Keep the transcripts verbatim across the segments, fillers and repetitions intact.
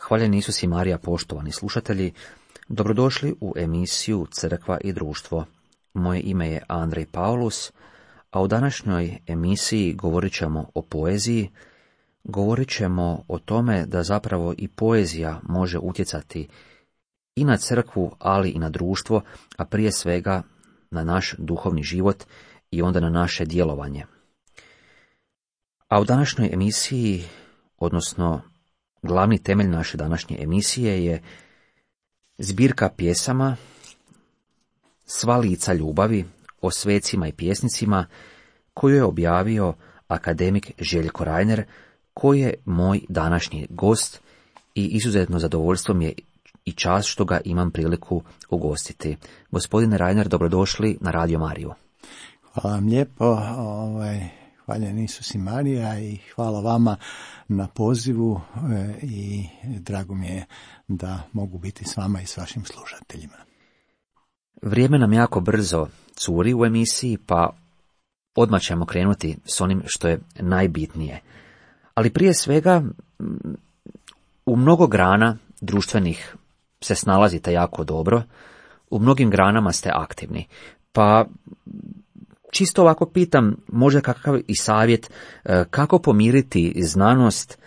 Hvaljen Isus i Marija, poštovani slušatelji, dobrodošli u emisiju Crkva i društvo. Moje ime je Andrej Paulus, a u današnjoj emisiji govorit ćemo o poeziji, govorit ćemo o tome da zapravo i poezija može utjecati i na crkvu, ali i na društvo, a prije svega na naš duhovni život i onda na naše djelovanje. A u današnjoj emisiji, odnosno glavni temelj naše današnje emisije je zbirka pjesama Sva lica ljubavi o svecima i pjesnicima koju je objavio akademik Željko Reiner, koji je moj današnji gost i izuzetno zadovoljstvo mi je i čast što ga imam priliku ugostiti. Gospodine Reiner, dobrodošli na Radio Mariju. Hvala vam lijepo, ovaj, hvaljen Isus i Marija i hvala vama na pozivu e, i drago mi je da mogu biti s vama i s vašim slušateljima. Vrijeme nam jako brzo curi u emisiji, pa odmah ćemo krenuti s onim što je najbitnije. Ali prije svega, u mnogo grana društvenih se snalazite jako dobro, u mnogim granama ste aktivni, pa čisto ovako pitam, možda kakav i savjet, kako pomiriti znanost,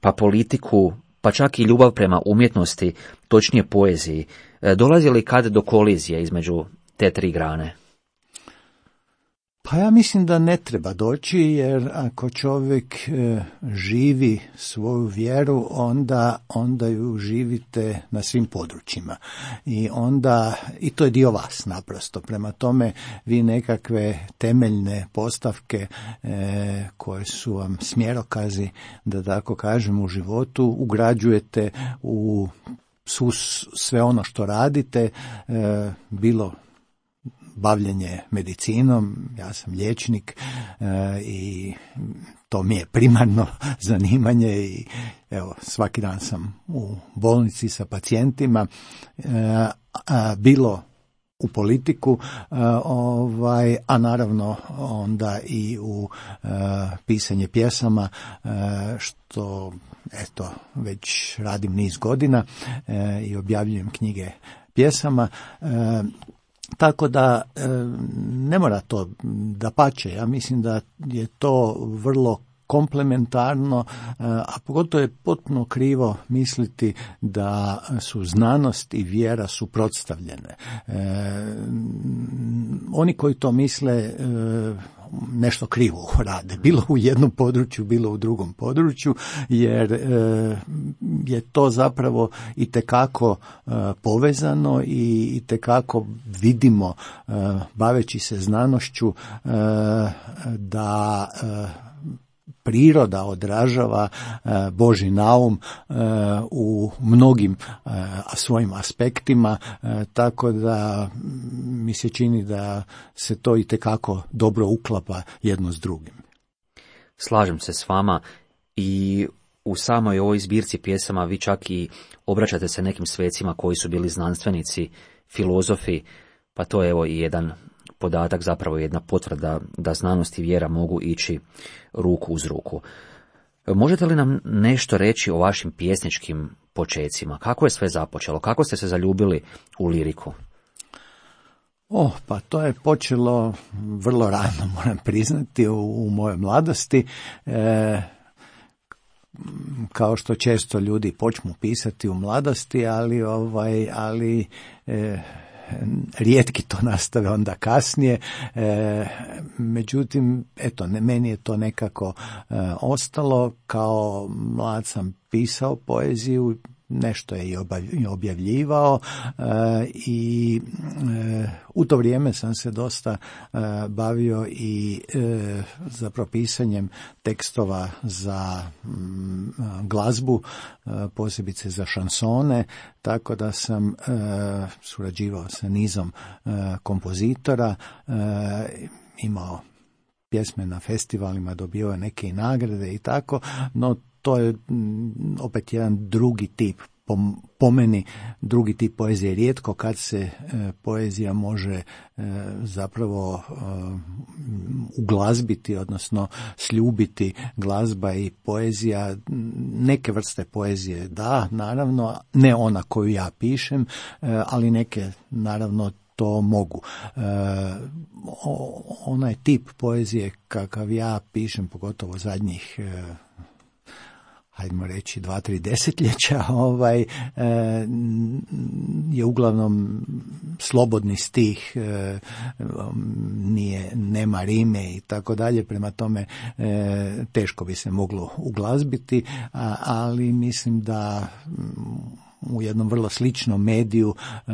pa politiku, pa čak i ljubav prema umjetnosti, točnije poeziji. Dolazi li kad do kolizije između te tri grane? Pa ja mislim da ne treba doći, jer ako čovjek e, živi svoju vjeru, onda, onda ju živite na svim područjima. I onda, i to je dio vas naprosto. Prema tome, vi nekakve temeljne postavke e, koje su vam smjerokazi, da tako kažem, u životu, ugrađujete u su, sve ono što radite, e, bilo bavljenje medicinom, ja sam liječnik e, i to mi je primarno zanimanje i evo svaki dan sam u bolnici sa pacijentima, e, a, bilo u politiku, a, ovaj, a naravno onda i u a, pisanje pjesama, a, što eto već radim niz godina a, i objavljujem knjige pjesama. A, Tako da e, ne mora to dapače, ja mislim da je to vrlo komplementarno, a pogotovo je potpuno krivo misliti da su znanost i vjera suprotstavljene. E, oni koji to misle e, nešto krivo rade, bilo u jednom području, bilo u drugom području, jer e, je to zapravo itekako e, povezano i itekako vidimo, e, baveći se znanošću, e, da e, priroda odražava e, Božji naum e, u mnogim e, svojim aspektima, e, tako da mi se čini da se to itekako dobro uklapa jedno s drugim. Slažem se s vama i u samoj ovoj zbirci pjesama vi čak i obraćate se nekim svecima koji su bili znanstvenici, filozofi, pa to je evo i jedan podatak, zapravo jedna potvrda da znanost i vjera mogu ići ruku uz ruku. Možete li nam nešto reći o vašim pjesničkim počecima? Kako je sve započelo? Kako ste se zaljubili u liriku? Oh, pa to je počelo vrlo rano, moram priznati, u, u mojoj mladosti. E, kao što često ljudi počnu pisati u mladosti, ali ovaj, ali e, rijetki to nastave onda kasnije, e, međutim, eto, ne, meni je to nekako e, ostalo. Kao mlad sam pisao poeziju, nešto je i objavljivao e, i e, u to vrijeme sam se dosta e, bavio i e, zapravo pisanjem tekstova za m, glazbu, e, posebice za šansone, tako da sam e, surađivao sa nizom e, kompozitora, e, imao pjesme na festivalima, dobio neke i nagrade i tako, no to je opet jedan drugi tip po, po meni drugi tip poezije. Rijetko kad se e, poezija može e, zapravo e, uglazbiti, odnosno sljubiti glazba i poezija. Neke vrste poezije da, naravno, ne ona koju ja pišem, e, ali neke naravno to mogu. E, onaj tip poezije kakav ja pišem, pogotovo zadnjih e, hajdemo reći dva, tri desetljeća, ovaj, e, je uglavnom slobodni stih, e, nije, nema rime i tako dalje, prema tome e, teško bi se moglo uglazbiti, a, ali mislim da u jednom vrlo sličnom mediju e,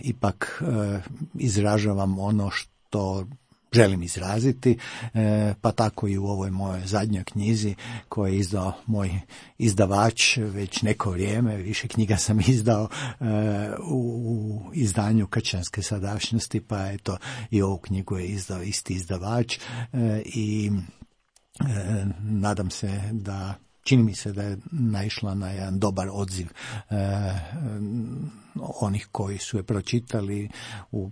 ipak e, izražavam ono što želim izraziti, e, pa tako i u ovoj mojoj zadnjoj knjizi koju je izdao moj izdavač već neko vrijeme. Više knjiga sam izdao e, u, u izdanju Kršćanske sadašnjosti, pa eto i ovu knjigu je izdao isti izdavač e, i e, nadam se da čini mi se da je naišla na jedan dobar odziv e, onih koji su je pročitali. U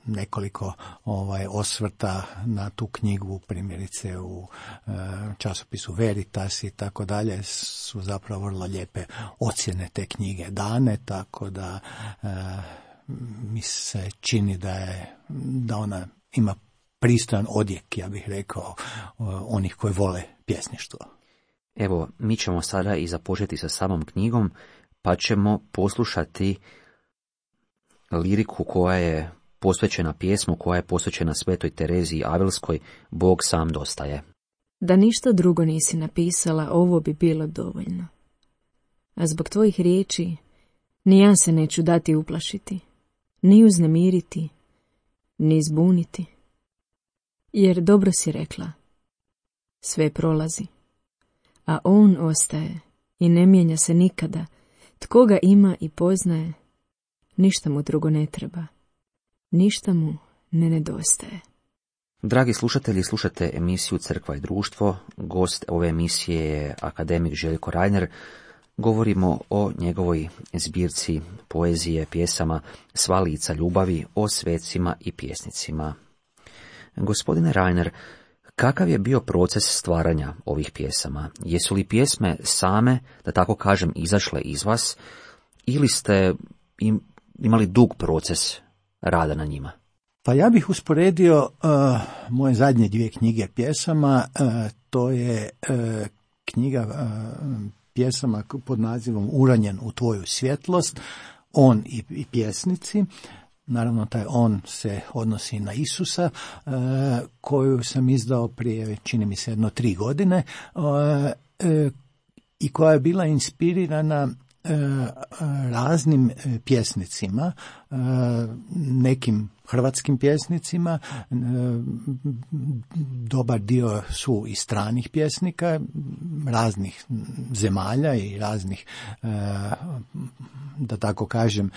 nekoliko ovaj osvrta na tu knjigu, primjerice u e, časopisu Veritas i tako dalje, su zapravo vrlo lijepe ocjene te knjige dane, tako da e, mi se čini da je da ona ima pristojan odjek, ja bih rekao, onih koji vole pjesništvo. Evo, mi ćemo sada i započeti sa samom knjigom, pa ćemo poslušati liriku koja je posvećena pjesmu, koja je posvećena Svetoj Tereziji Avilskoj, Bog sam dostaje. Da ništa drugo nisi napisala, ovo bi bilo dovoljno. A zbog tvojih riječi, ni ja se neću dati uplašiti, ni uznemiriti, ni zbuniti. Jer dobro si rekla, sve prolazi, a on ostaje i ne mijenja se nikada. Tko ga ima i poznaje, ništa mu drugo ne treba, ništa mu ne nedostaje. Dragi slušatelji, slušate emisiju Crkva i društvo. Gost ove emisije je akademik Željko Reiner. Govorimo o njegovoj zbirci poezije, pjesama Sva lica ljubavi, o svecima i pjesnicima. Gospodine Reiner, kakav je bio proces stvaranja ovih pjesama? Jesu li pjesme same, da tako kažem, izašle iz vas, ili ste im, imali dug proces rada na njima? Pa ja bih usporedio uh, moje zadnje dvije knjige pjesama, uh, to je uh, knjiga uh, pjesama pod nazivom Uranjen u tvoju svjetlost, on i, i pjesnici. Naravno, taj on se odnosi na Isusa, uh, koju sam izdao prije, čini mi se, jedno tri godine, uh, uh, i koja je bila inspirirana raznim pjesnicima, nekim hrvatskim pjesnicima, dobar dio su i stranih pjesnika, raznih zemalja i raznih, da tako kažem,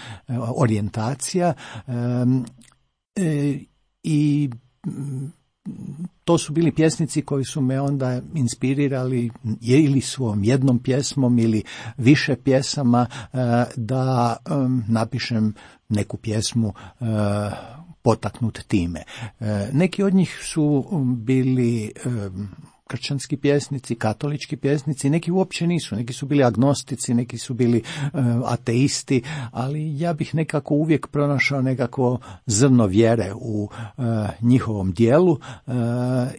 orijentacija, i to su bili pjesnici koji su me onda inspirirali ili svojom jednom pjesmom ili više pjesama da napišem neku pjesmu potaknut time. Neki od njih su bili kršćanski pjesnici, katolički pjesnici, neki uopće nisu, neki su bili agnostici, neki su bili uh, ateisti, ali ja bih nekako uvijek pronašao nekako zrno vjere u uh, njihovom dijelu uh,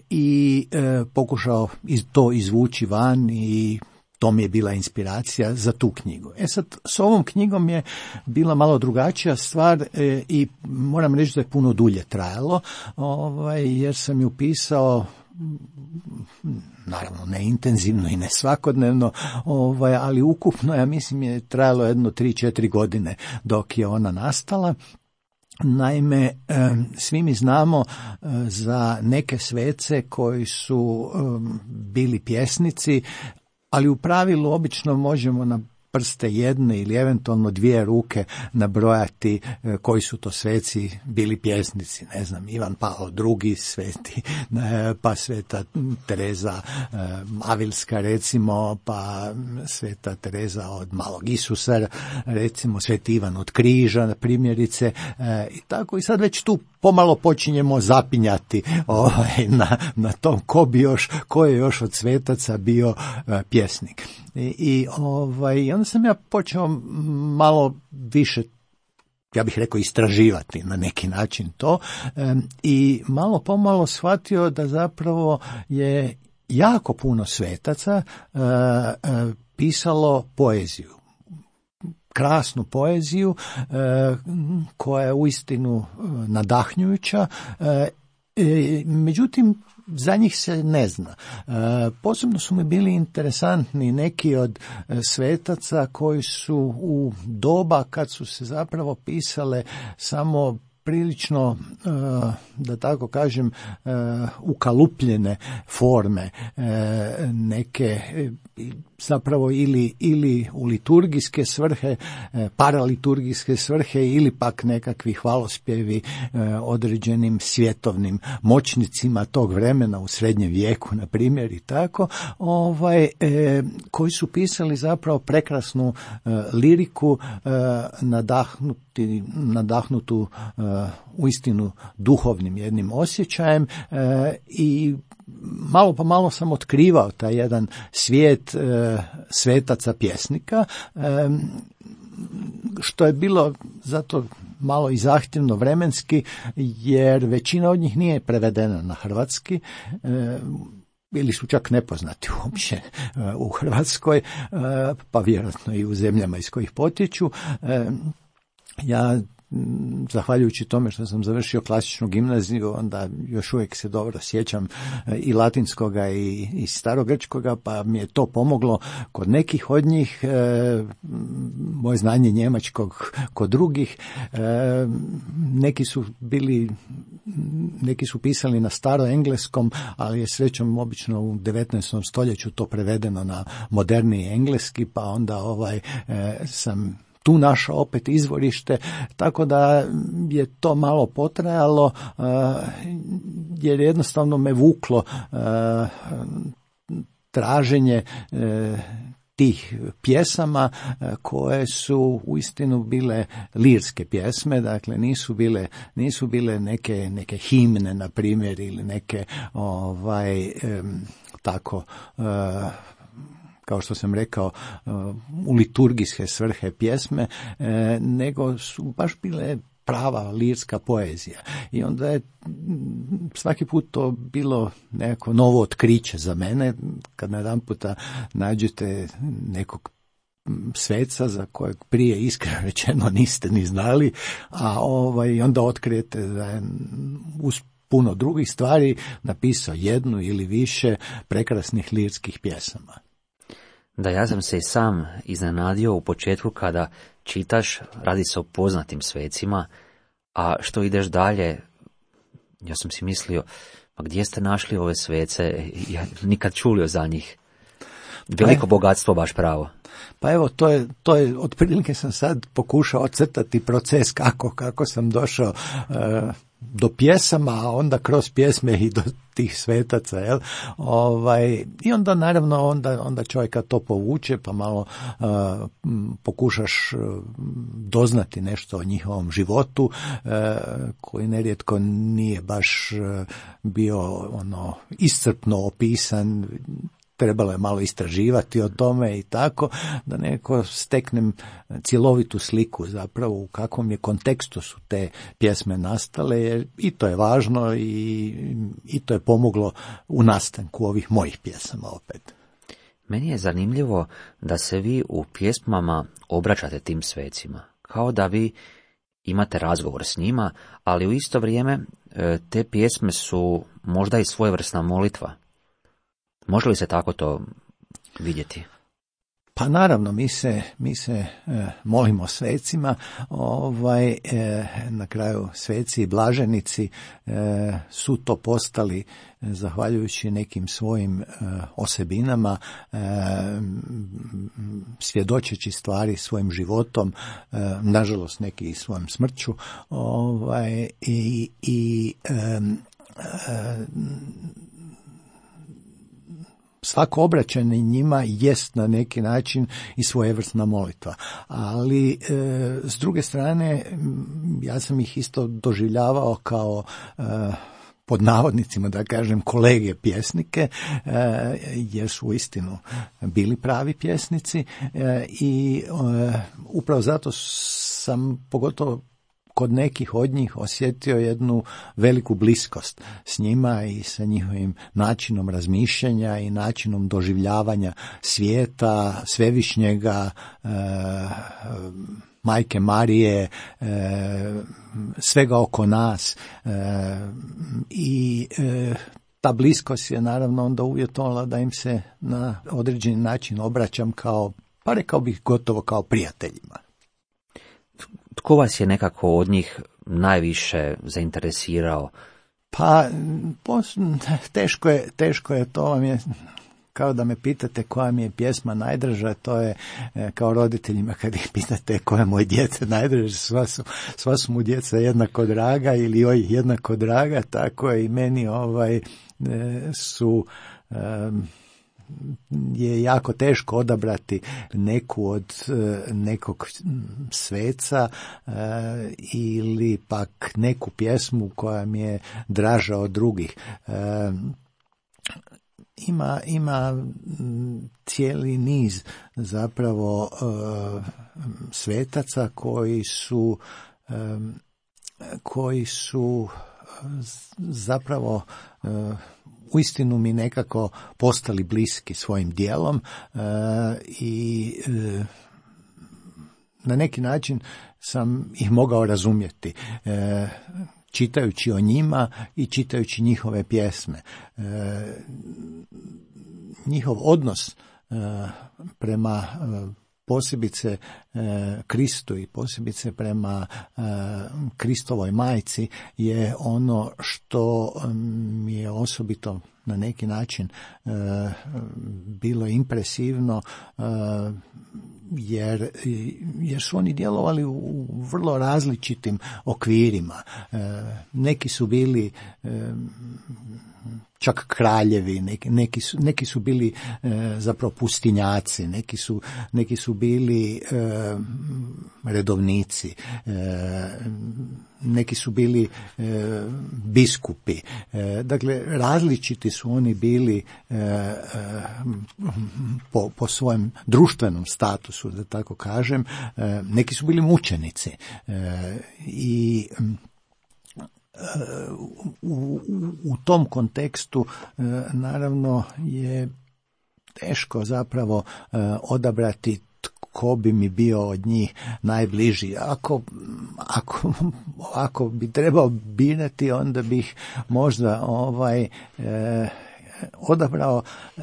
i uh, pokušao iz, to izvući van, i to mi je bila inspiracija za tu knjigu. E sad, s ovom knjigom je bila malo drugačija stvar e, i moram reći da je puno dulje trajalo, ovaj, jer sam ju pisao, naravno ne intenzivno i ne svakodnevno, ovaj, ali ukupno, ja mislim, je trajalo jedno tri četiri godine dok je ona nastala. Naime, svi mi znamo za neke svece koji su bili pjesnici, ali u pravilu obično možemo na prste jedne ili eventualno dvije ruke nabrojati e, koji su to sveci bili pjesnici, ne znam, Ivan Pavao drugi, sveti, e, pa sveta Tereza e, Avilska recimo, pa sveta Tereza od Malog Isusa, recimo sveti Ivan od Križa, primjerice, e, i tako, i sad već tu pomalo počinjemo zapinjati ovaj, na, na tom ko bi još, ko je još od svetaca bio uh, pjesnik. I, i ovaj, onda sam ja počeo malo više, ja bih rekao, istraživati na neki način to um, i malo pomalo shvatio da zapravo je jako puno svetaca uh, uh, pisalo poeziju. Krasnu poeziju e, koja je uistinu nadahnjujuća, e, e, međutim za njih se ne zna. E, posebno su mi bili interesantni neki od svetaca koji su u doba kad su se zapravo pisale samo prilično, da tako kažem, ukalupljene forme, neke zapravo ili, ili u liturgijske svrhe, paraliturgijske svrhe ili pak nekakvi hvalospjevi određenim svjetovnim moćnicima tog vremena u srednjem vijeku, na primjer, i tako, ovaj, koji su pisali zapravo prekrasnu liriku, nadahnuti, nadahnutu uistinu duhovnim jednim osjećajem, i malo po malo sam otkrivao taj jedan svijet e, svetaca pjesnika, e, što je bilo zato malo i zahtjevno vremenski, jer većina od njih nije prevedena na hrvatski, e, ili su čak nepoznati uopće e, u Hrvatskoj, e, pa vjerojatno i u zemljama iz kojih potječu. E, ja zahvaljujući tome što sam završio klasičnu gimnaziju, onda još uvijek se dobro sjećam i latinskoga i, i starogrčkoga, pa mi je to pomoglo kod nekih od njih, e, moje znanje njemačkog kod drugih. E, neki su bili, neki su pisali na staroengleskom, ali je srećom obično u devetnaestom stoljeću to prevedeno na moderniji engleski, pa onda ovaj e, sam tu našao opet izvorište, tako da je to malo potrajalo, uh, jer jednostavno me vuklo uh, traženje uh, tih pjesama uh, koje su uistinu bile lirske pjesme, dakle nisu bile, nisu bile neke, neke himne, na primjer, ili neke ovaj um, tako uh, kao što sam rekao, u liturgijske svrhe pjesme, nego su baš bile prava lirska poezija. I onda je svaki put to bilo neko novo otkriće za mene, kad na jedan puta nađete nekog sveca za kojeg prije iskreno rečeno niste ni znali, a ovaj, onda otkrijete da je uz puno drugih stvari napisao jednu ili više prekrasnih lirskih pjesama. Da, ja sam se i sam iznenadio u početku kada čitaš, radi se o poznatim svecima, a što ideš dalje, ja sam si mislio, pa gdje ste našli ove svece, ja nikad čulio za njih. Veliko pa, bogatstvo, baš pravo. Pa evo, to je, to je, otprilike sam sad pokušao ocrtati proces kako, kako sam došao uh, do pjesama, a onda kroz pjesme i do tih svetaca, jel? Ovaj, i onda naravno onda, onda čovjeka to povuče, pa malo uh, pokušaš uh, doznati nešto o njihovom životu, uh, koji nerijetko nije baš uh, bio ono iscrpno opisan. Trebalo je malo istraživati o tome i tako, da neko steknem cjelovitu sliku zapravo u kakvom je kontekstu su te pjesme nastale, jer i to je važno i, i to je pomoglo u nastanku ovih mojih pjesama opet. Meni je zanimljivo da se vi u pjesmama obraćate tim svecima, kao da vi imate razgovor s njima, ali u isto vrijeme te pjesme su možda i svojevrsna molitva. Može li se tako to vidjeti? Pa naravno, mi se, mi se e, molimo svecima, ovaj, e, na kraju sveci i blaženici e, su to postali e, zahvaljujući nekim svojim e, osebinama, e, svjedočeći stvari svojim životom, e, nažalost neki i svojom smrću, ovaj, i, i e, e, svako obraćanje njima jest na neki način i svojevrsna molitva. Ali e, s druge strane, ja sam ih isto doživljavao kao e, pod navodnicima, da kažem, kolege pjesnike, e, jer su uistinu bili pravi pjesnici e, i e, upravo zato sam pogotovo kod nekih od njih osjetio jednu veliku bliskost s njima i sa njihovim načinom razmišljanja i načinom doživljavanja svijeta, svevišnjega, e, Majke Marije, e, svega oko nas e, i e, ta bliskost je naravno onda uvjetovala da im se na određeni način obraćam kao, pa rekao bih gotovo kao prijateljima. Tko vas je nekako od njih najviše zainteresirao? Pa, teško je, teško je, to vam je kao da me pitate koja mi je pjesma najdraža, to je kao roditeljima kad ih pitate koja moje djece najdraža, sva su, sva su mu djeca jednako draga ili joj jednako draga, tako je i meni ovaj, su... Um, je jako teško odabrati neku od nekog sveca e, ili pak neku pjesmu koja mi je draža od drugih. E, ima, ima cijeli niz zapravo e, svetaca koji su e, koji su zapravo e, uistinu mi nekako postali bliski svojim djelom e, i e, na neki način sam ih mogao razumjeti e, čitajući o njima i čitajući njihove pjesme. E, njihov odnos e, prema e, posebice e, Kristu i posebice prema e, Kristovoj majci je ono što mi je osobito na neki način e, bilo impresivno e, jer, jer su oni djelovali u, u vrlo različitim okvirima. E, neki su bili e, čak kraljevi, neki, neki, su, neki su bili e, zapravo pustinjaci, neki su, neki su bili e, redovnici, e, neki su bili e, biskupi. E, dakle, različiti su oni bili e, e, po, po svojem društvenom statusu, da tako kažem. E, neki su bili mučenici e, i U, u, u tom kontekstu e, naravno je teško zapravo e, odabrati tko bi mi bio od njih najbliži. Ako, ako, ako bi trebao birati, onda bih možda ovaj e, odabrao e,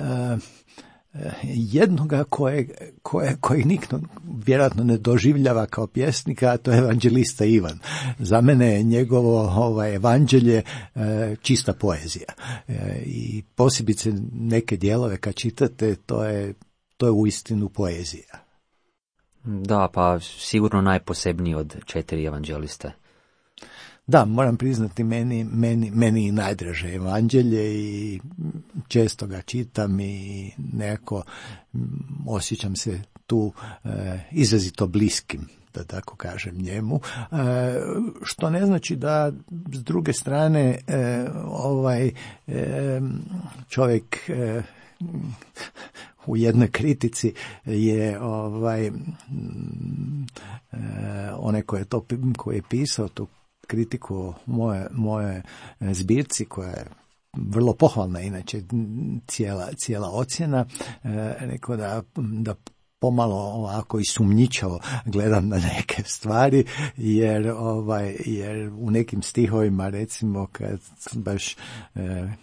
jednoga koje, koje, koji nikdo vjerojatno ne doživljava kao pjesnika, a to je evanđelista Ivan. Za mene je njegovo ovaj, evanđelje e, čista poezija. E, I posebice neke dijelove kad čitate, to je, to je uistinu poezija. Da, pa sigurno najposebniji od četiri evanđeliste. Da, moram priznati, meni, meni, meni i najdraže evanđelje i često ga čitam i nekako osjećam se tu e, izrazito bliskim, da tako kažem, njemu, e, što ne znači da s druge strane e, ovaj e, čovjek e, u jednoj kritici je ovaj e, onaj koji je to koji je pisao tu kritiku moje, moje zbirci koja je vrlo pohvalna, inače cijela, cijela ocjena, e, rekao da, da pomalo ovako i sumnjičavo gledam na neke stvari, jer ovaj jer u nekim stihovima, recimo kad baš e,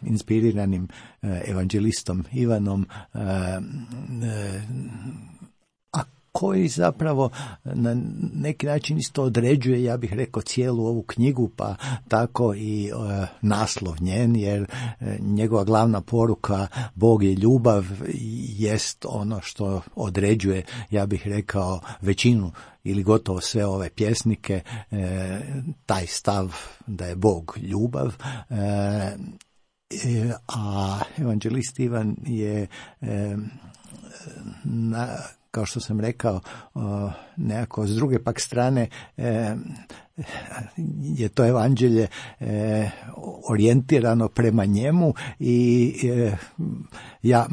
inspiriranim e, evanđelistom Ivanom e, e, koji zapravo na neki način isto određuje, ja bih rekao, cijelu ovu knjigu, pa tako i e, naslov njen, jer e, njegova glavna poruka Bog je ljubav jest ono što određuje, ja bih rekao, većinu ili gotovo sve ove pjesnike, e, taj stav da je Bog ljubav. E, a evanđelist Ivan je e, na, kao što sam rekao, nekako s druge pak strane e, je to evanđelje e, orijentirano prema njemu i e, ja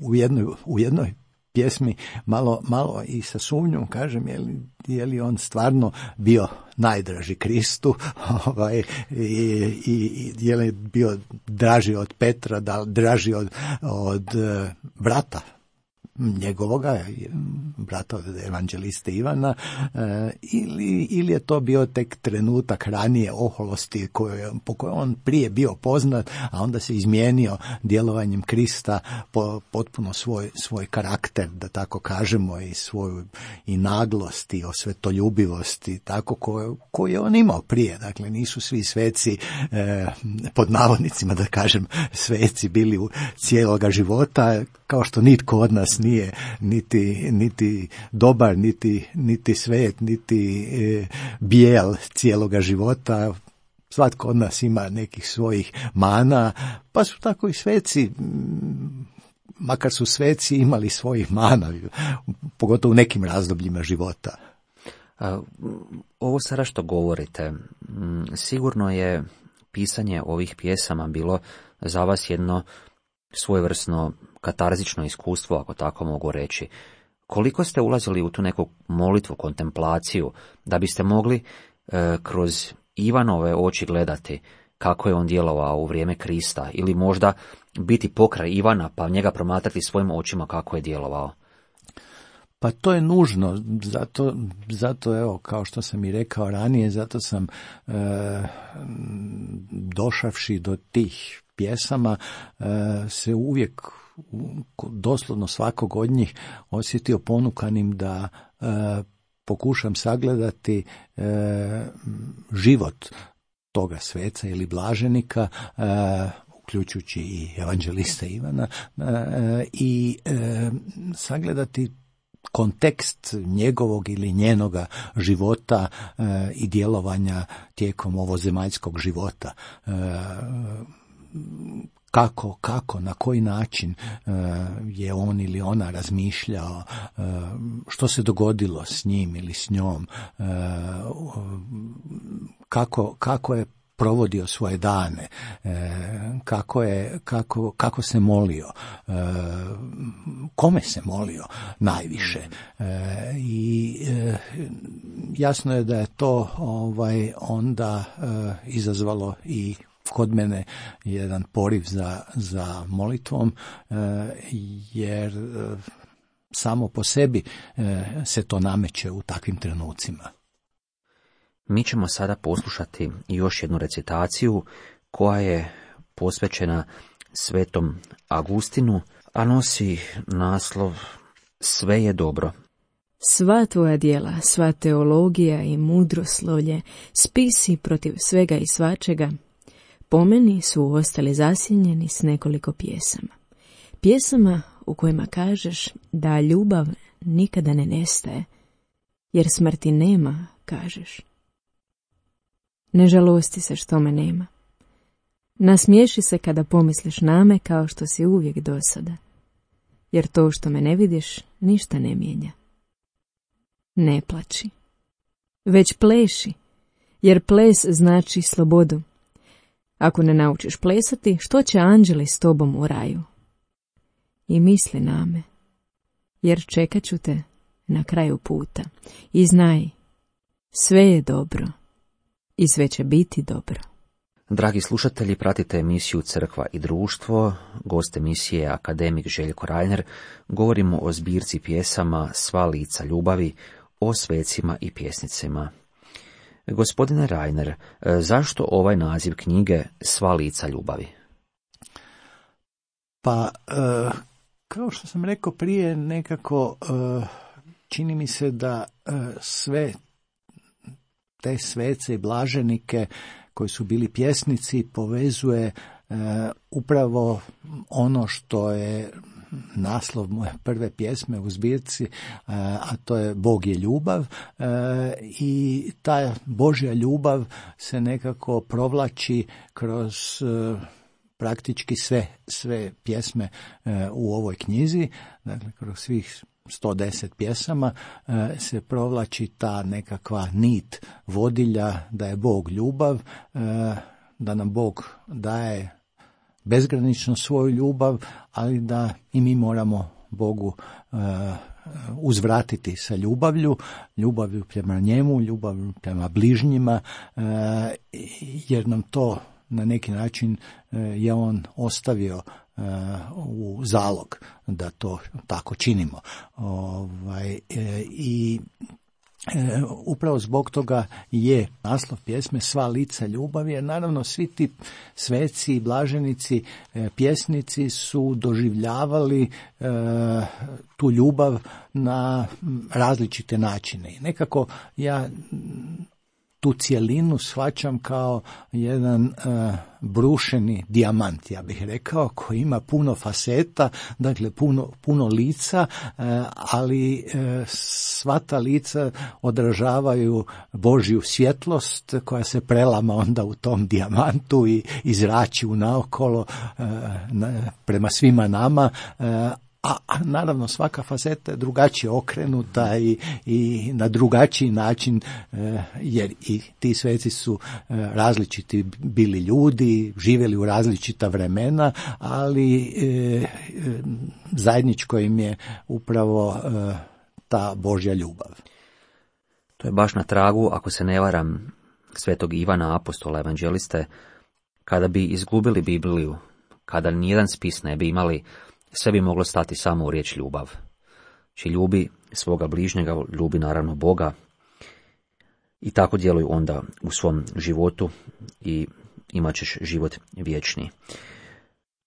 u jednoj, u jednoj pjesmi malo, malo i sa sumnjom kažem, je li, je li on stvarno bio najdraži Kristu, ovaj, i, i, i je li bio draži od Petra, da, draži od, od brata njegovoga, brata od evanđeliste Ivana, e, ili, ili je to bio tek trenutak ranije oholosti koje, po kojoj on prije bio poznat, a onda se izmijenio djelovanjem Krista po, potpuno svoj, svoj karakter, da tako kažemo, i svoju i naglost i osvetoljubivost i tako koju, koju je on imao prije. Dakle, nisu svi sveci, e, pod navodnicima da kažem, sveci bili u cijeloga života, kao što nitko od nas nije niti, niti dobar, niti, niti svet, niti e, bijel cijeloga života. Svatko od nas ima nekih svojih mana, pa su tako i sveci, makar su sveci imali svojih mana, pogotovo u nekim razdobljima života. Ovo sada što govorite, sigurno je pisanje ovih pjesama bilo za vas jedno svojevrsno katarzično iskustvo, ako tako mogu reći. Koliko ste ulazili u tu neku molitvu, kontemplaciju, da biste mogli e, kroz Ivanove oči gledati kako je on djelovao u vrijeme Krista, ili možda biti pokraj Ivana pa njega promatrati svojim očima kako je djelovao? Pa to je nužno, zato, zato evo, kao što sam i rekao ranije, zato sam e, došavši do tih pjesama e, se uvijek, doslovno svakog od njih, osjetio ponukanim da e, pokušam sagledati e, život toga sveca ili blaženika, e, uključujući i evanđelista Ivana, e, i e, sagledati kontekst njegovog ili njenoga života e, i djelovanja tijekom ovozemaljskog života. E, kako, kako, na koji način e, je on ili ona razmišljao, e, što se dogodilo s njim ili s njom, e, kako, kako je provodio svoje dane, e, kako je, kako, kako se molio, e, kome se molio najviše. E, I e, jasno je da je to ovaj onda e, izazvalo i kod mene jedan poriv za, za molitvom, e, jer e, samo po sebi e, se to nameće u takvim trenucima. Mi ćemo sada poslušati još jednu recitaciju koja je posvećena svetom Agustinu, a nosi naslov Sve je dobro. Sva tvoja djela, sva teologija i mudroslovlje, spisi protiv svega i svačega, po meni su ostali zasjenjeni s nekoliko pjesama. Pjesama u kojima kažeš da ljubav nikada ne nestaje, jer smrti nema, kažeš. Ne žalosti se što me nema. Nasmiješi se kada pomisliš na me kao što si uvijek do sada, jer to što me ne vidiš ništa ne mijenja. Ne plači, već pleši, jer ples znači slobodu. Ako ne naučiš plesati, što će anđeli s tobom u raju? I misli na me, jer čekat ću te na kraju puta. I znaj, sve je dobro i sve će biti dobro. Dragi slušatelji, pratite emisiju Crkva i društvo. Gost emisije je akademik Željko Reiner. Govorimo o zbirci pjesama Sva lica ljubavi, o svecima i pjesnicima. Gospodine Reiner, zašto ovaj naziv knjige Sva lica ljubavi? Pa, e, kao što sam rekao prije, nekako e, čini mi se da sve te svece i blaženike koji su bili pjesnici povezuje upravo ono što je naslov moje prve pjesme u zbirci, a to je Bog je ljubav, i ta Božja ljubav se nekako provlači kroz praktički sve, sve pjesme u ovoj knjizi, dakle kroz svih sto deset pjesama se provlači ta nekakva nit vodilja da je Bog ljubav, da nam Bog daje bezgranično svoju ljubav, ali da i mi moramo Bogu uzvratiti sa ljubavlju, ljubavlju prema njemu, ljubavlju prema bližnjima, jer nam to na neki način je on ostavio u zalog da to tako činimo. Ovaj, i E, upravo zbog toga je naslov pjesme Sva lica ljubavi, jer naravno svi ti sveci i blaženici, e, pjesnici su doživljavali e, tu ljubav na različite načine. I nekako ja tu cjelinu shvaćam kao jedan uh, brušeni dijamant, ja bih rekao, koji ima puno faseta, dakle puno, puno lica, uh, ali uh, sva ta lica odražavaju Božju svjetlost koja se prelama onda u tom dijamantu i izrači unaokolo uh, na, prema svima nama, uh, A, a naravno svaka faceta je drugačije okrenuta i, i na drugačiji način, e, jer i ti sveci su e, različiti bili ljudi, živjeli u različita vremena, ali e, e, zajedničko im je upravo e, ta Božja ljubav. To je baš na tragu, ako se ne varam, svetog Ivana apostola evanđeliste, kada bi izgubili Bibliju, kada nijedan spis ne bi imali, sve bi moglo stati samo u riječ ljubav. Či ljubi svoga bližnjega, ljubi naravno Boga i tako djeluju onda u svom životu i imat ćeš život vječni.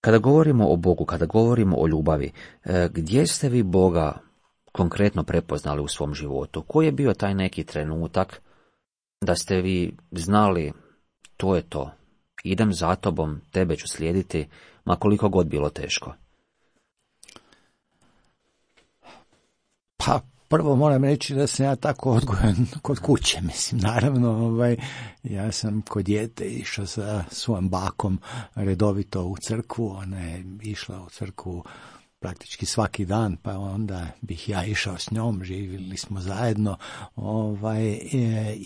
Kada govorimo o Bogu, kada govorimo o ljubavi, gdje ste vi Boga konkretno prepoznali u svom životu? Koji je bio taj neki trenutak da ste vi znali to je to, idem za tobom, tebe ću slijediti, ma koliko god bilo teško? Pa prvo moram reći da sam ja tako odgojen kod kuće, mislim, naravno, ovaj, ja sam kod dijete išao sa svojom bakom redovito u crkvu, ona je išla u crkvu praktički svaki dan, pa onda bih ja išao s njom, živjeli smo zajedno, ovaj, e,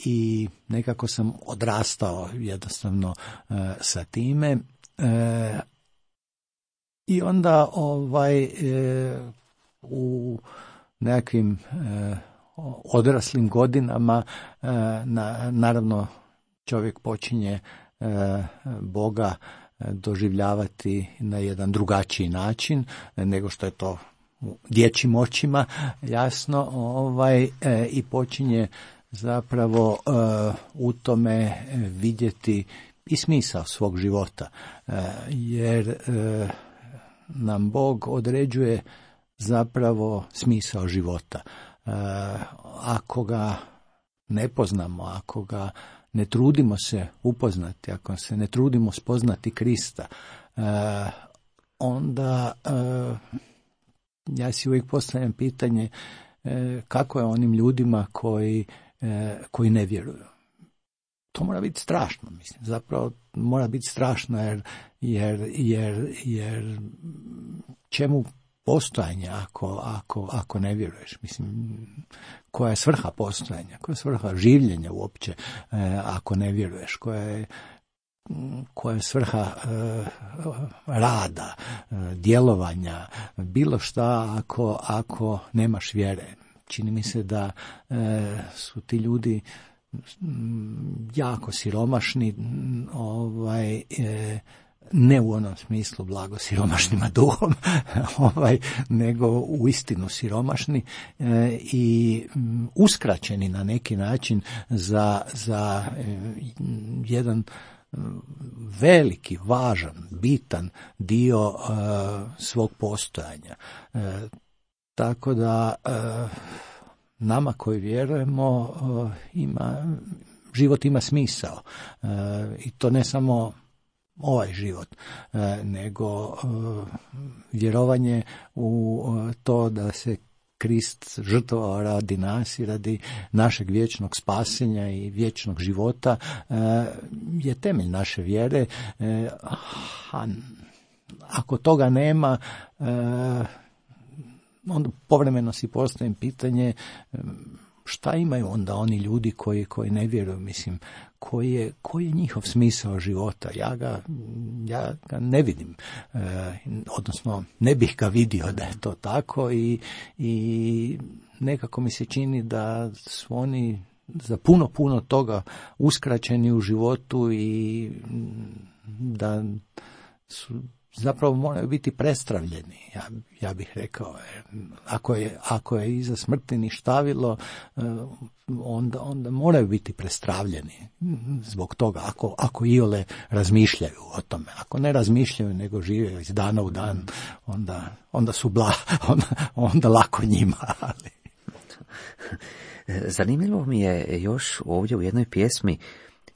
i nekako sam odrastao jednostavno e, sa time, e, i onda ovaj e, u nekakvim e, odraslim godinama e, na, naravno čovjek počinje e, Boga doživljavati na jedan drugačiji način nego što je to u dječjim očima, jasno, ovaj, e, i počinje zapravo e, u tome vidjeti i smisao svog života, e, jer e, nam Bog određuje zapravo smisao života. E, ako ga ne poznamo, ako ga ne trudimo se upoznati, ako se ne trudimo spoznati Krista, e, onda e, ja si uvijek postavljam pitanje e, kako je onim ljudima koji, e, koji ne vjeruju. To mora biti strašno, mislim, zapravo mora biti strašno jer, jer, jer, jer čemu postojanje ako, ako, ako ne vjeruješ, mislim, koja je svrha postojanja, koja je svrha življenja uopće e, ako ne vjeruješ, koja je, koja je svrha e, rada, e, djelovanja, bilo šta ako, ako nemaš vjere. Čini mi se da e, su ti ljudi jako siromašni, ovaj, e, ne u onom smislu blago siromašnima duhom, ovaj, nego uistinu siromašni e, i m, uskraćeni na neki način za, za e, jedan veliki, važan, bitan dio e, svog postojanja. E, tako da e, nama koji vjerujemo ima, život ima smisao. I to ne samo ovaj život, nego vjerovanje u to da se Krist žrtvovao radi nas i radi našeg vječnog spasenja i vječnog života je temelj naše vjere. A ako toga nema, onda povremeno si postavim pitanje šta imaju onda oni ljudi koji, koji ne vjeruju, mislim, koji je, koji je njihov smisao života. Ja ga, ja ga ne vidim, e, odnosno ne bih ga vidio da je to tako i, i nekako mi se čini da su oni za puno, puno toga uskraćeni u životu i da su zapravo moraju biti prestravljeni, ja, ja bih rekao. Ako je, ako je iza smrti ništavilo, onda, onda moraju biti prestravljeni zbog toga, ako, ako iole razmišljaju o tome. Ako ne razmišljaju, nego žive iz dana u dan, onda, onda su bla, onda, onda lako njima. Ali. Zanimljivo mi je još ovdje u jednoj pjesmi,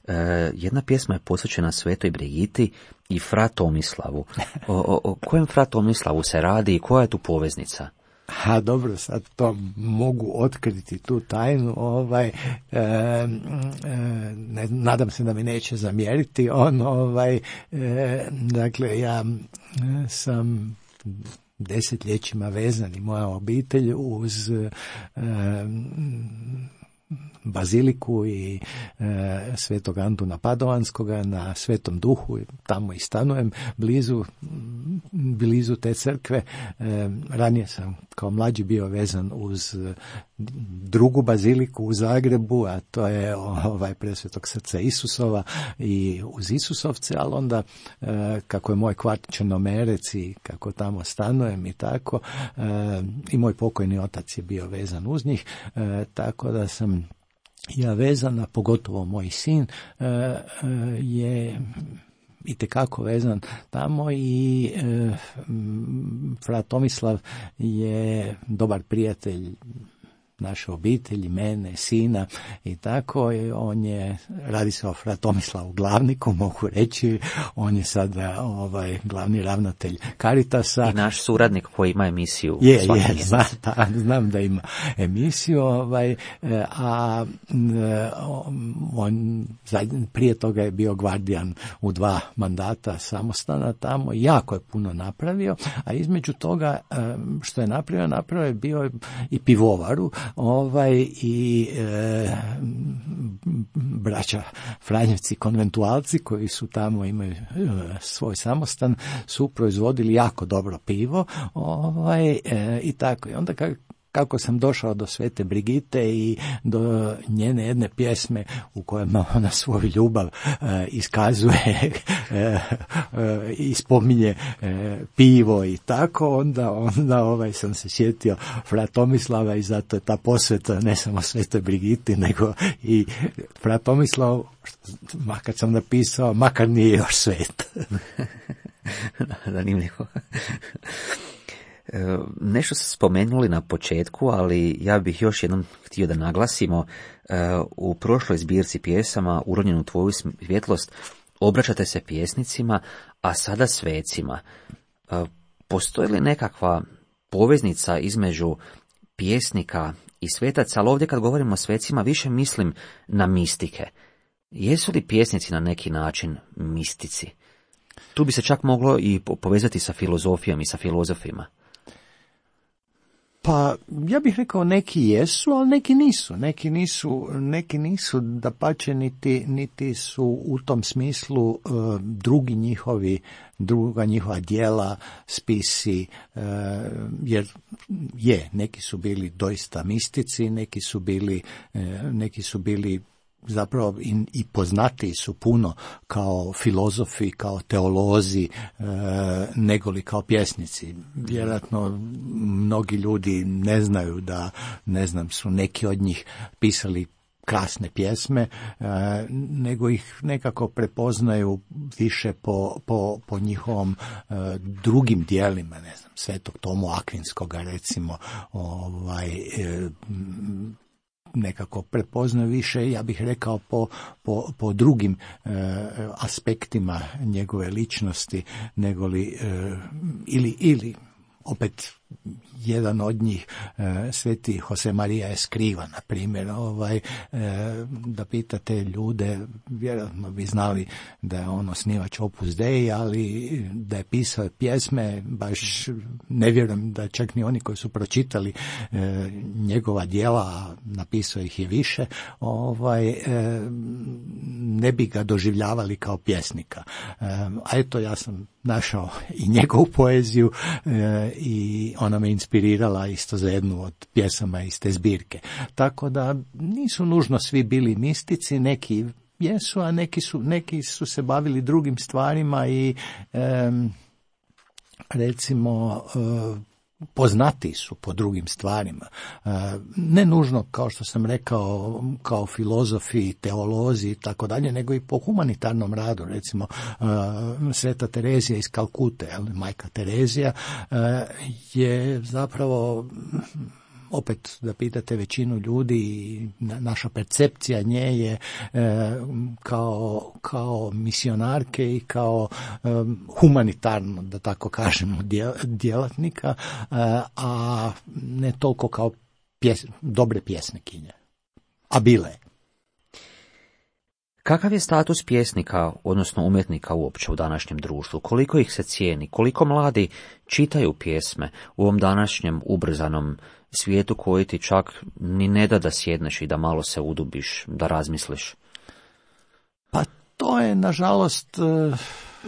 Uh, jedna pjesma je posvećena Svetoj Brigiti i fra Tomislavu. O, o, o kojem fra Tomislavu se radi i koja je tu poveznica? Ha, dobro, sad to mogu otkriti tu tajnu, ovaj, e, e, ne, nadam se da mi neće zamjeriti on, ovaj, e, dakle, ja sam desetljećima vezan i moja obitelj uz e, baziliku i e, Svetog Antuna Padovanskoga na Svetom Duhu, tamo i stanujem blizu, blizu te crkve. E, ranije sam kao mlađi bio vezan uz drugu baziliku u Zagrebu, a to je ovaj Presvetog Srca Isusova i uz Isusovce, ali onda e, kako je moj kvart Črnomerec i kako tamo stanujem i tako, e, i moj pokojni otac je bio vezan uz njih, e, tako da sam ja vezana, pogotovo moj sin e, e, je itekako vezan tamo i e, fra Tomislav je dobar prijatelj naše obitelji, mene, sina i tako. I on je, radi se o fra Tomislavu Glavniku, mogu reći, on je sada ovaj glavni ravnatelj Caritasa. I naš suradnik koji ima emisiju. Je, je, znam, da, znam da ima emisiju, ovaj, a on prije toga je bio gvardijan u dva mandata samostana tamo, jako je puno napravio, a između toga što je napravio, napravio je bio i pivovaru, ovaj i e, braća Franjevci konventualci koji su tamo imaju e, svoj samostan su proizvodili jako dobro pivo, ovaj e, i tako. I onda kako kako sam došao do Svete Brigite i do njene jedne pjesme u kojima ona svoju ljubav e, iskazuje e, e, i spominje e, pivo i tako, onda, onda ovaj sam se sjetio fra Tomislava i zato je ta posveta ne samo Svetoj Brigiti, nego i fra Tomislav, makar sam napisao, makar nije još svet. Zanimljivo. Nešto ste spomenuli na početku, ali ja bih još jednom htio da naglasimo, u prošloj zbirci pjesama Uronjenu tvoju svjetlost obraćate se pjesnicima, a sada svecima. Postoji li nekakva poveznica između pjesnika i svetaca, ali ovdje kad govorimo o svecima više mislim na mistike. Jesu li pjesnici na neki način mistici? Tu bi se čak moglo i povezati sa filozofijom i sa filozofima. Pa, ja bih rekao neki jesu, ali neki nisu. Neki nisu, neki nisu dapače, niti, niti su u tom smislu uh, drugi njihovi, druga njihova djela, spisi, uh, jer je, neki su bili doista mistici, neki su bili, uh, neki su bili zapravo i, i poznatiji su puno kao filozofi, kao teolozi, e, negoli kao pjesnici. Vjerojatno mnogi ljudi ne znaju da, ne znam, su neki od njih pisali krasne pjesme, nego ih nekako prepoznaju više po, po, po njihovom drugim dijelima, ne znam, Svetog Tomu Akvinskoga recimo, ovaj, nekako prepoznaju više, ja bih rekao, po, po, po drugim e, aspektima njegove ličnosti, negoli, e, ili, ili opet jedan od njih, e, sveti Jose Maria Escriva, na primjer, ovaj, e, da pitate ljude, vjerojatno bi znali da je on osnivač Opus Dei, ali da je pisao pjesme, baš ne vjerujem da čak ni oni koji su pročitali e, njegova djela, napisao ih je više, ovaj, e, ne bi ga doživljavali kao pjesnika. E, a eto, ja sam našao i njegovu poeziju e, i ona me inspirirala isto za jednu od pjesama iz te zbirke. Tako da nisu nužno svi bili mistici, neki jesu, a neki su, neki su se bavili drugim stvarima i e, recimo e, poznati su po drugim stvarima. Ne nužno, kao što sam rekao, kao filozofi, teolozi i tako dalje, nego i po humanitarnom radu. Recimo, Sveta Terezija iz Kalkute, majka Terezija, je zapravo, opet da pitate većinu ljudi, naša percepcija nje je e, kao, kao misionarke i kao e, humanitarno, da tako kažemo, djelatnika, e, a ne toliko kao pjes, dobre pjesnikinje. A bile je. Kakav je status pjesnika, odnosno umjetnika uopće u današnjem društvu? Koliko ih se cijeni? Koliko mladi čitaju pjesme u ovom današnjem ubrzanom svijetu koji ti čak ni ne da da sjedneš i da malo se udubiš, da razmisliš? Pa to je, nažalost,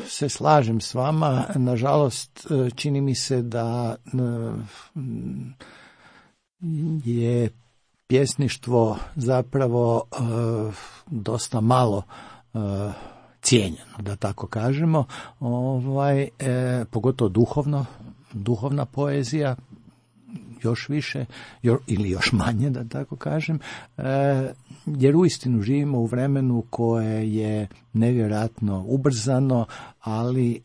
se slažem s vama, nažalost čini mi se da je pjesništvo zapravo uh, dosta malo uh, cijenjeno, da tako kažemo, ovaj, e, pogotovo duhovno, duhovna poezija, još više jo, ili još manje, da tako kažem, e, jer uistinu živimo u vremenu koje je nevjerojatno ubrzano, ali e,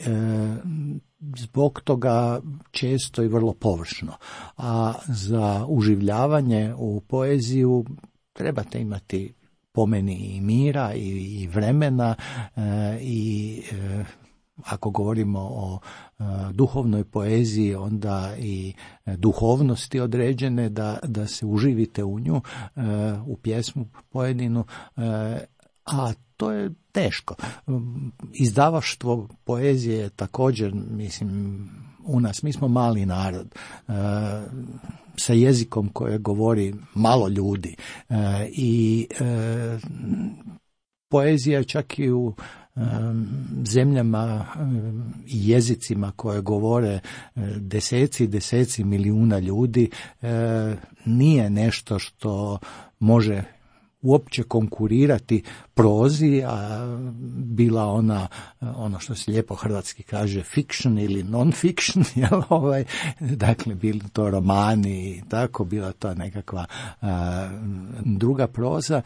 zbog toga često i vrlo površno. A za uživljavanje u poeziju trebate imati, po meni, i mira i, i vremena e, i e, ako govorimo o e, duhovnoj poeziji, onda i duhovnosti određene, da, da se uživite u nju, e, u pjesmu pojedinu, e, a to je teško. Izdavaštvo poezije je također, mislim, u nas, mi smo mali narod, e, sa jezikom koje govori malo ljudi, e, i e, poezija čak i u e, zemljama i e, jezicima koje govore e, deseci i deseci milijuna ljudi, e, nije nešto što može uopće konkurirati prozi, a bila ona, ono što se lijepo hrvatski kaže, fiction ili non-fiction, jel, ovaj, dakle, bili to romani i tako, bila to nekakva a, druga proza,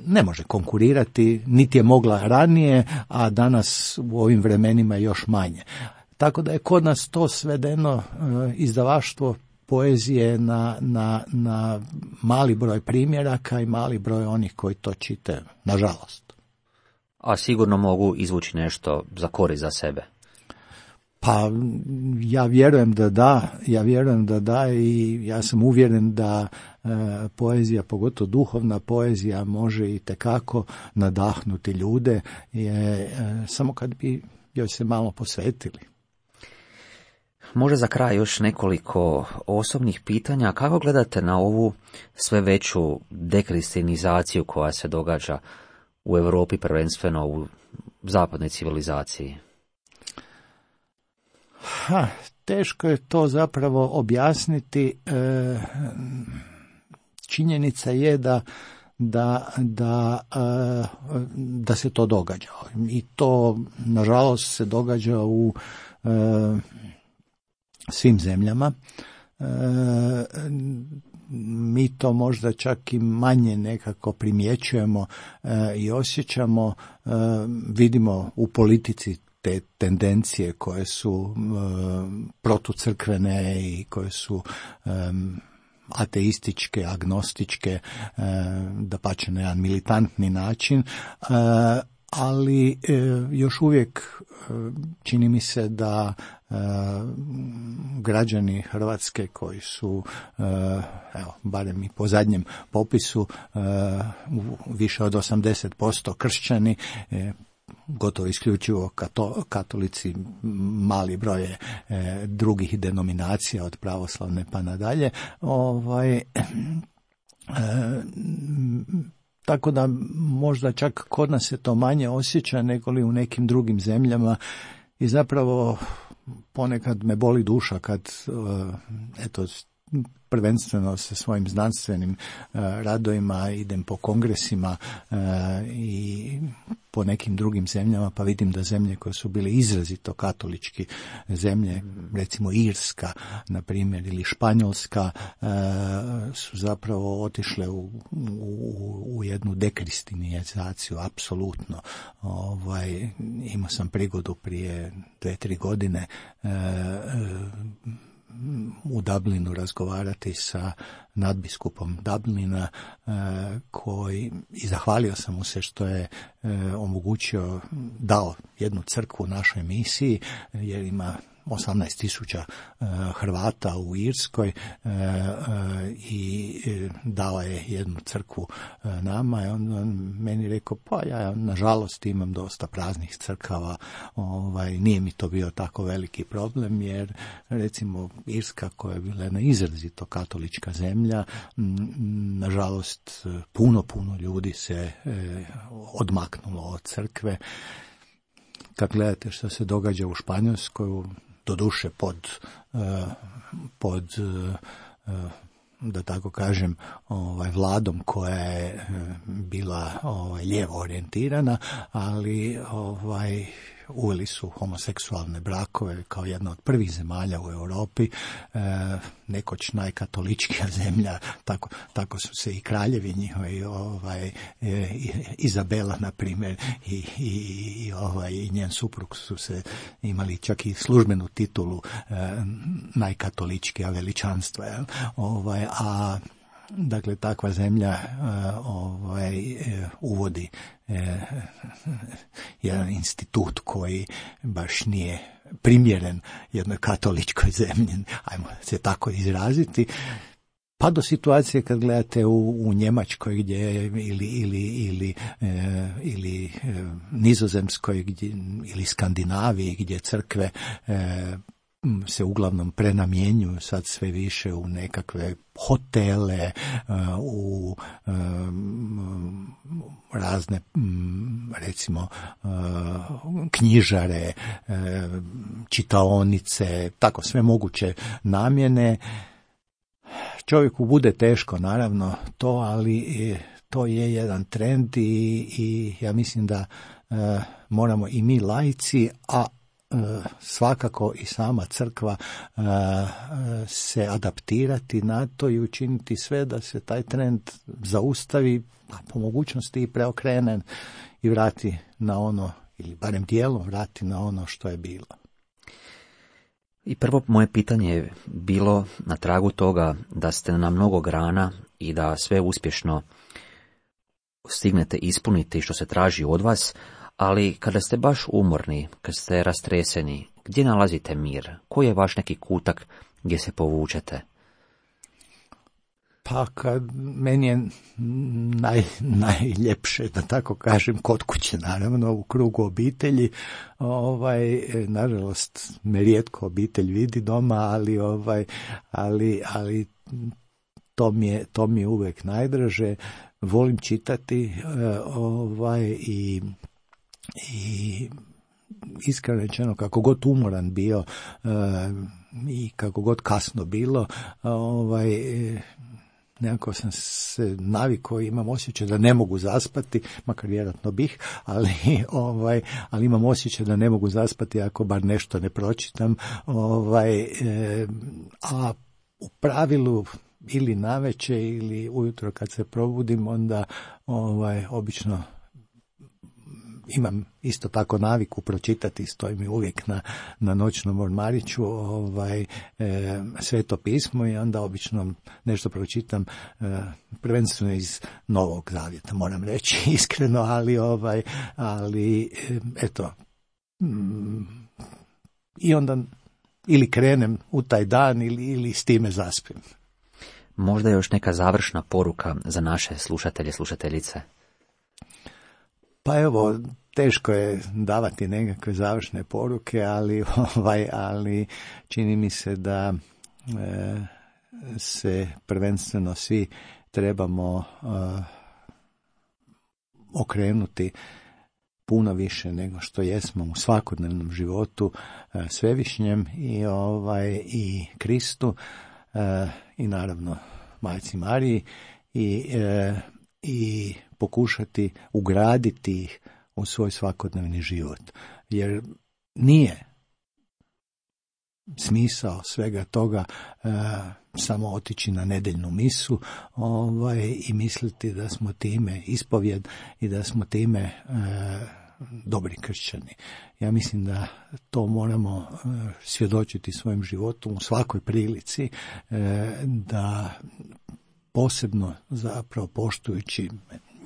ne može konkurirati, niti je mogla ranije, a danas u ovim vremenima još manje. Tako da je kod nas to svedeno, a, izdavaštvo poezije na, na, na mali broj primjeraka i mali broj onih koji to čitaju, nažalost. A sigurno mogu izvući nešto za korist za sebe. Pa ja vjerujem da da, ja vjerujem da da i ja sam uvjeren da e, poezija, pogotovo duhovna poezija, može i tekako nadahnuti ljude, je, e, samo kad bi joj se malo posvetili. Možda za kraj još nekoliko osobnih pitanja. Kako gledate na ovu sve veću dekristijanizaciju koja se događa u Europi, prvenstveno u zapadnoj civilizaciji? Ha, teško je to zapravo objasniti. E, činjenica je da da, da, e, da se to događa. I to, nažalost, se događa u e, svim zemljama. E, mi to možda čak i manje nekako primjećujemo e, i osjećamo, e, vidimo u politici te tendencije koje su e, protucrkvene i koje su e, ateističke, agnostičke, e, dapače na jedan militantni način, e, ali e, još uvijek e, čini mi se da e, građani Hrvatske koji su, e, evo, barem i po zadnjem popisu, e, više od osamdeset posto kršćani, e, gotovo isključivo kato, katolici, mali broj e, drugih denominacija od pravoslavne pa nadalje, ovaj, e, tako da možda čak kod nas se to manje osjeća nego li u nekim drugim zemljama i zapravo ponekad me boli duša kad eto prvenstveno sa svojim znanstvenim uh, radovima idem po kongresima uh, i po nekim drugim zemljama, pa vidim da zemlje koje su bile izrazito katolički zemlje, recimo Irska, na primjer, ili Španjolska, uh, su zapravo otišle u, u, u jednu dekristinizaciju, apsolutno. Ovaj, imao sam prigodu prije dve, tri godine uh, uh, u Dublinu razgovarati sa nadbiskupom Dublina e, koji, i zahvalio sam mu se što je e, omogućio, dao jednu crkvu našoj misiji, jer ima osamnaest tisuća e, Hrvata u Irskoj e, e, i e, dao je jednu crkvu e, nama i on, on meni rekao, pa ja nažalost imam dosta praznih crkava, ovaj, nije mi to bio tako veliki problem, jer recimo Irska koja je bila jedna izrazito katolička zemlja, m, nažalost puno, puno ljudi se e, odmaknulo od crkve. Kad gledate što se događa u Španjolskoj, doduše pod, pod, da tako kažem, ovaj, vladom koja je bila ovaj, lijevo orijentirana, ali ovaj, uveli su homoseksualne brakove kao jedna od prvih zemalja u Europi, e, nekoć najkatoličkija zemlja, tako, tako su se i kraljevi njihovi, ovaj, e, Izabela, na primjer, i, i, i, ovaj, i njen suprug su se imali čak i službenu titulu e, najkatoličkija veličanstva, jel? Ovaj, a dakle, takva zemlja uh, ovaj, uh, uvodi uh, jedan institut koji baš nije primjeren jednoj katoličkoj zemlji, ajmo se tako izraziti, pa do situacije kad gledate u, u Njemačkoj gdje ili ili ili e, ili e, Nizozemskoj gdje, ili Skandinaviji gdje crkve e, se uglavnom prenamjenjuju sad sve više u nekakve hotele, u razne, recimo, knjižare, čitaonice, tako sve moguće namjene. Čovjeku bude teško, naravno, to, ali to je jedan trend i, i ja mislim da moramo i mi laici, a svakako i sama crkva se adaptirati na to i učiniti sve da se taj trend zaustavi, a po mogućnosti i preokrene i vrati na ono, ili barem dijelom vrati na ono što je bilo. I prvo moje pitanje je bilo na tragu toga da ste na mnogo grana i da sve uspješno stignete ispuniti što se traži od vas, ali kada ste baš umorni, kad ste rastreseni, gdje nalazite mir? Koji je vaš neki kutak gdje se povučete? Pa kad meni je naj, najljepše, da tako kažem, kod kuće, naravno, u krugu obitelji. Ovaj, nažalost, me rijetko obitelj vidi doma, ali, ovaj, ali, ali to mi je, to mi je uvijek najdraže. Volim čitati ovaj, i i iskreno rečeno, kako god umoran bio e, i kako god kasno bilo, ovaj, nekako sam se navikao, imam osjećaj da ne mogu zaspati, makar vjerojatno bih, ali, ovaj, ali imam osjećaj da ne mogu zaspati ako bar nešto ne pročitam, ovaj, e, a u pravilu ili navečer ili ujutro kad se probudim, onda ovaj, obično imam isto tako naviku pročitati, stoji mi uvijek na, na noćnom ormariću ovaj, e, Sveto pismo i onda obično nešto pročitam, e, prvenstveno iz Novog Zavjeta, moram reći iskreno, ali, ovaj, ali e, eto, mm, i onda ili krenem u taj dan ili, ili s time zaspim. Možda još neka završna poruka za naše slušatelje i slušateljice? Pa evo, teško je davati nekakve završne poruke, ali, ovaj, ali čini mi se da e, se prvenstveno svi trebamo e, okrenuti puno više nego što jesmo u svakodnevnom životu e, Svevišnjem i, ovaj, i Kristu e, i naravno Majci Mariji i, e, i pokušati ugraditi ih u svoj svakodnevni život. Jer nije smisao svega toga e, samo otići na nedeljnu misu ovaj, i misliti da smo time ispovjed i da smo time e, dobri kršćani. Ja mislim da to moramo e, svjedočiti svojim životom u svakoj prilici, e, da posebno zapravo poštujući,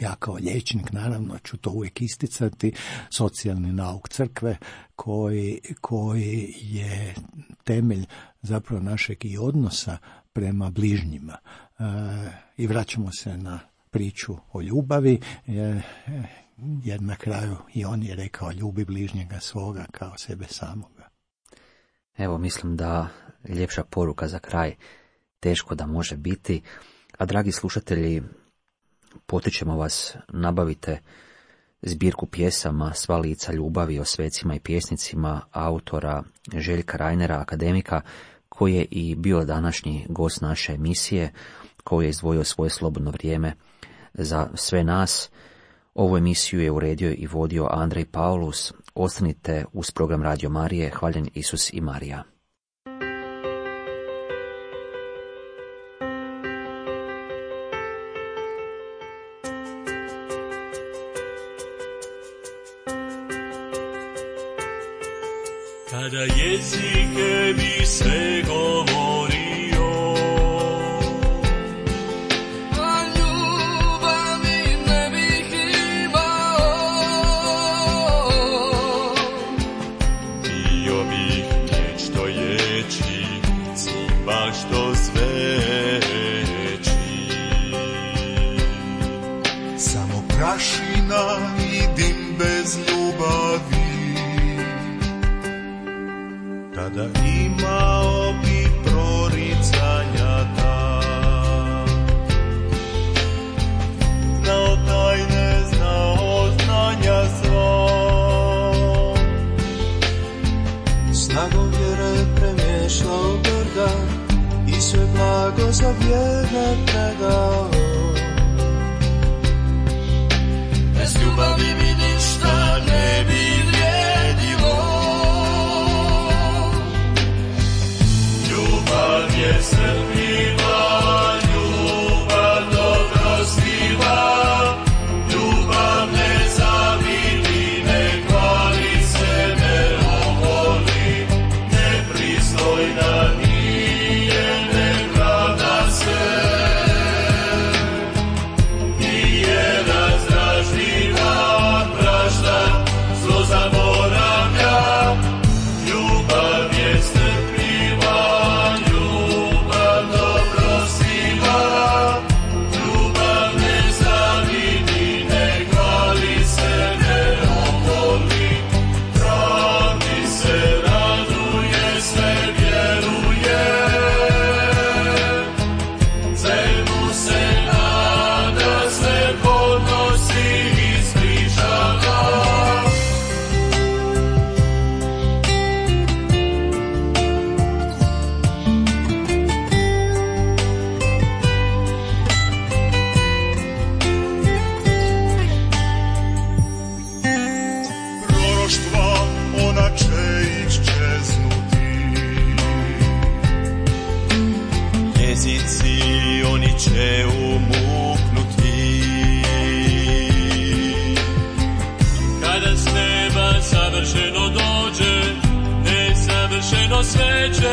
ja kao liječnik naravno ću to uvijek isticati, socijalni nauk crkve koji, koji je temelj zapravo našeg i odnosa prema bližnjima. E, I vraćamo se na priču o ljubavi, e, jer na kraju i on je rekao ljubi bližnjega svoga kao sebe samoga. Evo, mislim da ljepša poruka za kraj teško da može biti. A dragi slušatelji, potičemo vas, nabavite zbirku pjesama Sva lica ljubavi o svecima i pjesnicima autora Željka Reinera, akademika, koji je i bio današnji gost naše emisije, koji je izdvojio svoje slobodno vrijeme za sve nas. Ovu emisiju je uredio i vodio Andrej Paulus. Ostanite uz program Radio Marije. Hvaljen Isus i Marija. Kada jezike bi sve govorio, a ljubavi ne bih imao, bio bih nešto ječi, cima što sveći. Samo prašina i dim bez ljubavi, tada imao bi proricanja ta, znao tajne, znao znanja svo, snagom vjere premješao brda i sve blago za vjerne predao. Bez ljubavi mi ništa ne bi vrijedilo, ljubav je strpljiva, ljubav dobrostiva, ljubav ne zavidi, ne hvali se, ne oholi, nepristojna nije, ne pravda se, nije razdražljiva, prašta, zlo zaboravlja, ljubav je strpljiva, ljubav muzici oni će umuknuti. Kada s neba savršeno dođe, nesavršeno sve će